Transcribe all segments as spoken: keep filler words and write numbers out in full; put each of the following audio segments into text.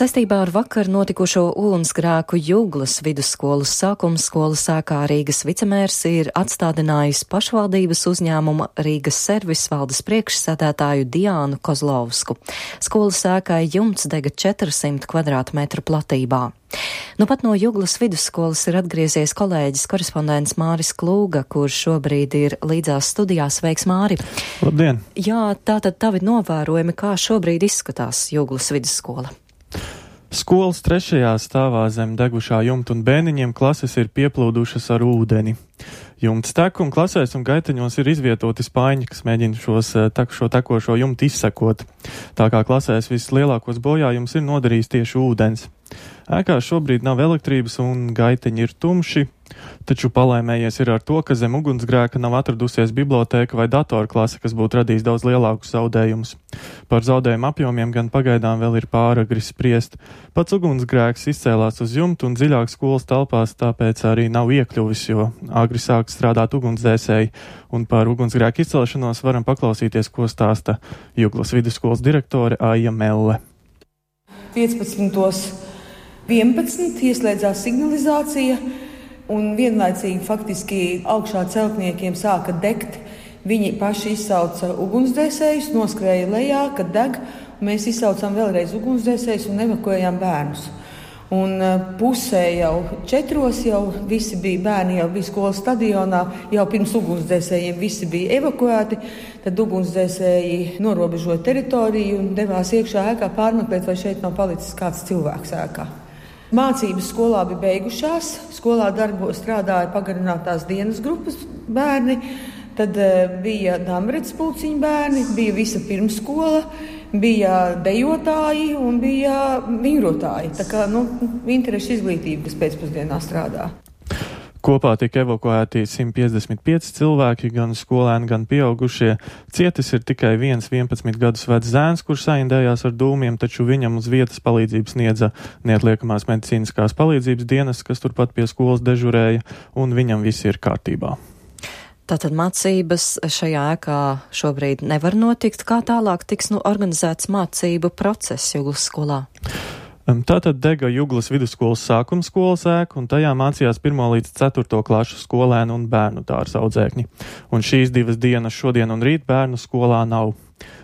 Saistībā ar vakar notikušo ugunsgrēku Juglas vidusskolas sākuma skolas ēkā Rīgas vicemērs ir atstādinājis pašvaldības uzņēmuma Rīgas servis valdes priekšsēdētāju Diānu Kozlovsku. Skolas ēkai jumts dega četrsimt kvadrātmetru platībā. Nu pat no Juglas vidusskolas ir atgriezies kolēģis korespondents Māris Klūga, kurš šobrīd ir līdzās studijās. Sveiks, Māri! Labdien! Jā, tātad tavi novērojumi, kā šobrīd izskatās Juglas vidusskola? Skolas trešajā stāvā zem degušā jumta un bēniņiem klases ir pieplūdušas ar ūdeni. Jumts tek un klasēs un gaiteņos ir izvietoti spaiņi, kas mēģina šos, šo tekošo jumtu izsekot. Tā kā klasēs vislielākos bojājums ir nodarījis tieši ūdens. Ēkā šobrīd nav elektrības un gaiteņi ir tumši, taču palaimējies ir ar to, ka zem ugunsgrēka nav atradusies bibliotēka vai datorklase, kas būtu radījis daudz lielākus zaudējumus. Par zaudējumu apjomiem gan pagaidām vēl ir pāragri spriest. Pats ugunsgrēks izcēlās uz jumtu un dziļāk skolas telpās, tāpēc arī nav iekļuvis, jo agri sāk strādāt ugunsdzēsēji. Un par ugunsgrēku izcelšanos varam paklausīties, ko stāsta Juglas vidusskolas direktore Aija Melle. piecpadsmit vienpadsmit ieslēdzās signalizācija un vienlaicīgi faktiski augšā celtniekiem sāka degt. Viņi paši izsauca ugunsdzēsējus, noskrēja lejā, kad deg. Mēs izsaucām vēlreiz ugunsdzēsējus un evakuējām bērnus. Un pusē jau četros jau visi bija bērni, jau bija skolas stadionā, jau pirms ugunsdzēsējiem visi bija evakuēti. Tad ugunsdzēsēji norobežoja teritoriju un devās iekšā ēkā pārmeklēt, vai šeit nav palicis kāds cilvēks ēkā. Mācības skolā bija beigušās, skolā darbo strādāja pagarinātās dienas grupas bērni, tad bija Damrets pulciņu bērni, bija visa pirmskola, bija dejotāji un bija vingrotāji. Tā kā, nu, interešu izglītība, kas pēcpusdienā strādā. Kopā tika evakuēti simt piecdesmit pieci cilvēki, gan skolēni, gan pieaugušie. Cietis ir tikai viens vienpadsmit gadus vecs zēns, kurš saindējās ar dūmiem, taču viņam uz vietas palīdzību sniedza neatliekamās medicīniskās palīdzības dienas, kas turpat pie skolas dežurēja, un viņam viss ir kārtībā. Tātad mācības šajā ēkā šobrīd nevar notikt. Kā tālāk tiks nu organizēts mācību process Juglas skolā? Tātad dega Juglas vidusskolas sākuma skolas ēka, un tajā mācījās pirmo līdz ceturto klašu skolēnu un bērnu dārza audzēkņi. Un šīs divas dienas šodien un rīt bērnu skolā nav.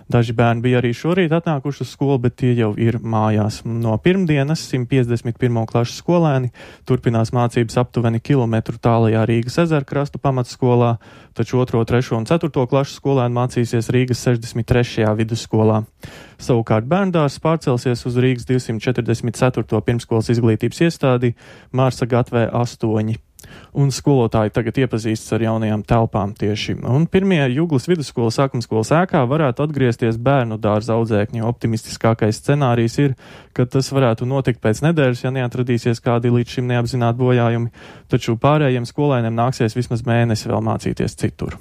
Daži bērni bija arī šorīt atnākuši uz skolu, bet tie jau ir mājās. No pirmdienas simt piecdesmit pirmo klašu skolēni turpinās mācības aptuveni kilometru tālajā Rīgas ezerkrastu pamatskolā, taču otro, trešo un ceturto klašu skolēni mācīsies Rīgas sešdesmit trešajā vidusskolā. Savukārt bērndārs pārcelsies uz Rīgas divsimt četrdesmit ceturto pirmskolas izglītības iestādi Mārsa Gatvē astoņi. Un skolotāji tagad iepazīstas ar jaunajām telpām tieši. Un pirmie Juglas vidusskolas sākuma skolas ēkā varētu atgriezties bērnu dārza audzēkņi. Optimistiskākais scenārijs ir, ka tas varētu notikt pēc nedēļas, ja neatradīsies kādi līdz šim neapzināti bojājumi, taču pārējiem skolēniem nāksies vismaz mēnesi vēl mācīties citur.